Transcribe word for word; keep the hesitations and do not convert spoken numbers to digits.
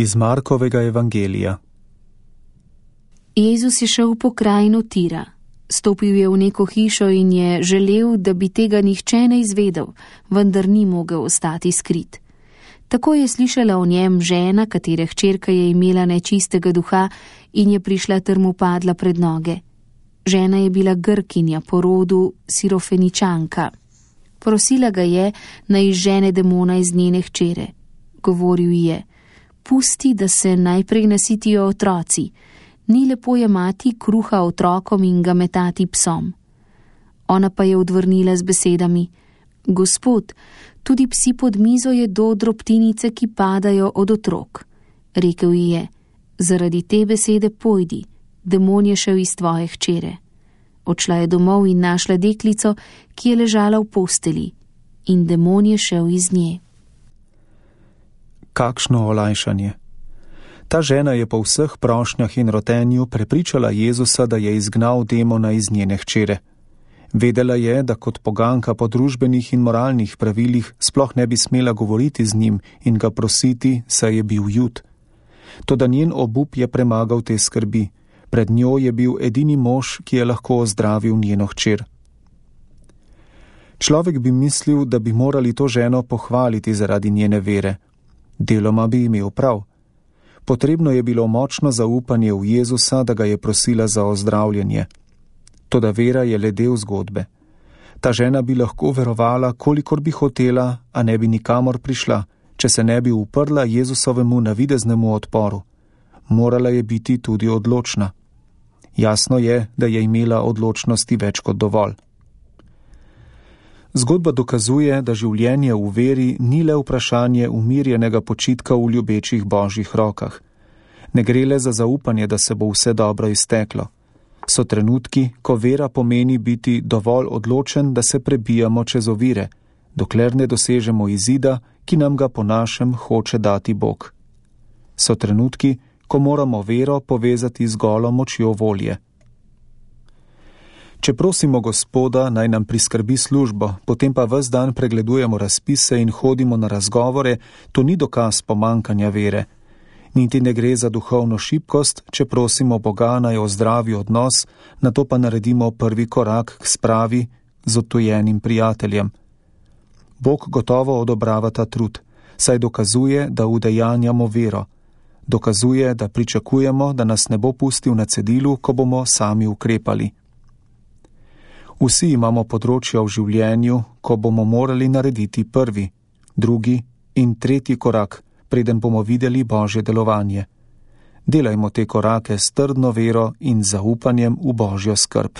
Iz Markovega evangelija. Jezus je šel po krajino Tira. Stopil je v neko hišo in je želel, da bi tega nihče ne izvedel, vendar ni mogel ostati skrit. Tako je slišala o njem žena, katere hčerka je imela nečistega duha in je prišla ter mu padla pred noge. Žena je bila Grkinja po rodu Sirofeničanka. Prosila ga je, naj izžene demona iz njene hčere. Govoril je: pusti, da se najprej nasitijo otroci. Ni lepo jemati kruha otrokom in ga metati psom. Ona pa je odvrnila z besedami: Gospod, tudi psi pod mizo jedo drobtinice, ki padajo od otrok. Rekel ji je: zaradi te besede pojdi, demon je šel iz tvoje hčere. Odšla je domov in našla deklico, ki je ležala v posteli, in demon je šel iz nje. Kakšno olajšanje! Ta žena je po vseh prošnjah in rotenju prepričala Jezusa, da je izgnal demona iz njene hčere. Vedela je, da kot poganka po družbenih in moralnih pravilih sploh ne bi smela govoriti z njim in ga prositi, saj je bil Jud. Toda njen obup je premagal te skrbi. Pred njo je bil edini mož, ki je lahko ozdravil njeno hčer. Človek bi mislil, da bi morali to ženo pohvaliti zaradi njene vere. Deloma bi imel prav. Potrebno je bilo močno zaupanje v Jezusa, da ga je prosila za ozdravljenje. Toda vera je le del zgodbe. Ta žena bi lahko verovala, kolikor bi hotela, a ne bi nikamor prišla, če se ne bi uprla Jezusovemu navideznemu odporu. Morala je biti tudi odločna. Jasno je, da je imela odločnosti več kot dovolj. Zgodba dokazuje, da življenje v veri ni le vprašanje umirjenega počitka v ljubečih božjih rokah. Ne gre le za zaupanje, da se bo vse dobro izteklo. So trenutki, ko vera pomeni biti dovolj odločen, da se prebijamo čez ovire, dokler ne dosežemo izida, ki nam ga po našem hoče dati Bog. So trenutki, ko moramo vero povezati z golo močjo volje. Če prosimo Gospoda, naj nam priskrbi službo, potem pa ves dan pregledujemo razpise in hodimo na razgovore, to ni dokaz pomankanja vere. Niti ne gre za duhovno šibkost, če prosimo Boga, naj ozdravi odnos, nato pa naredimo prvi korak k spravi z odtujenim prijateljem. Bog gotovo odobrava ta trud, saj dokazuje, da udejanjamo vero. Dokazuje, da pričakujemo, da nas ne bo pustil na cedilu, ko bomo sami ukrepali. Vsi imamo področja v življenju, ko bomo morali narediti prvi, drugi in tretji korak, preden bomo videli Božje delovanje. Delajmo te korake s trdno vero in zaupanjem v Božjo skrb.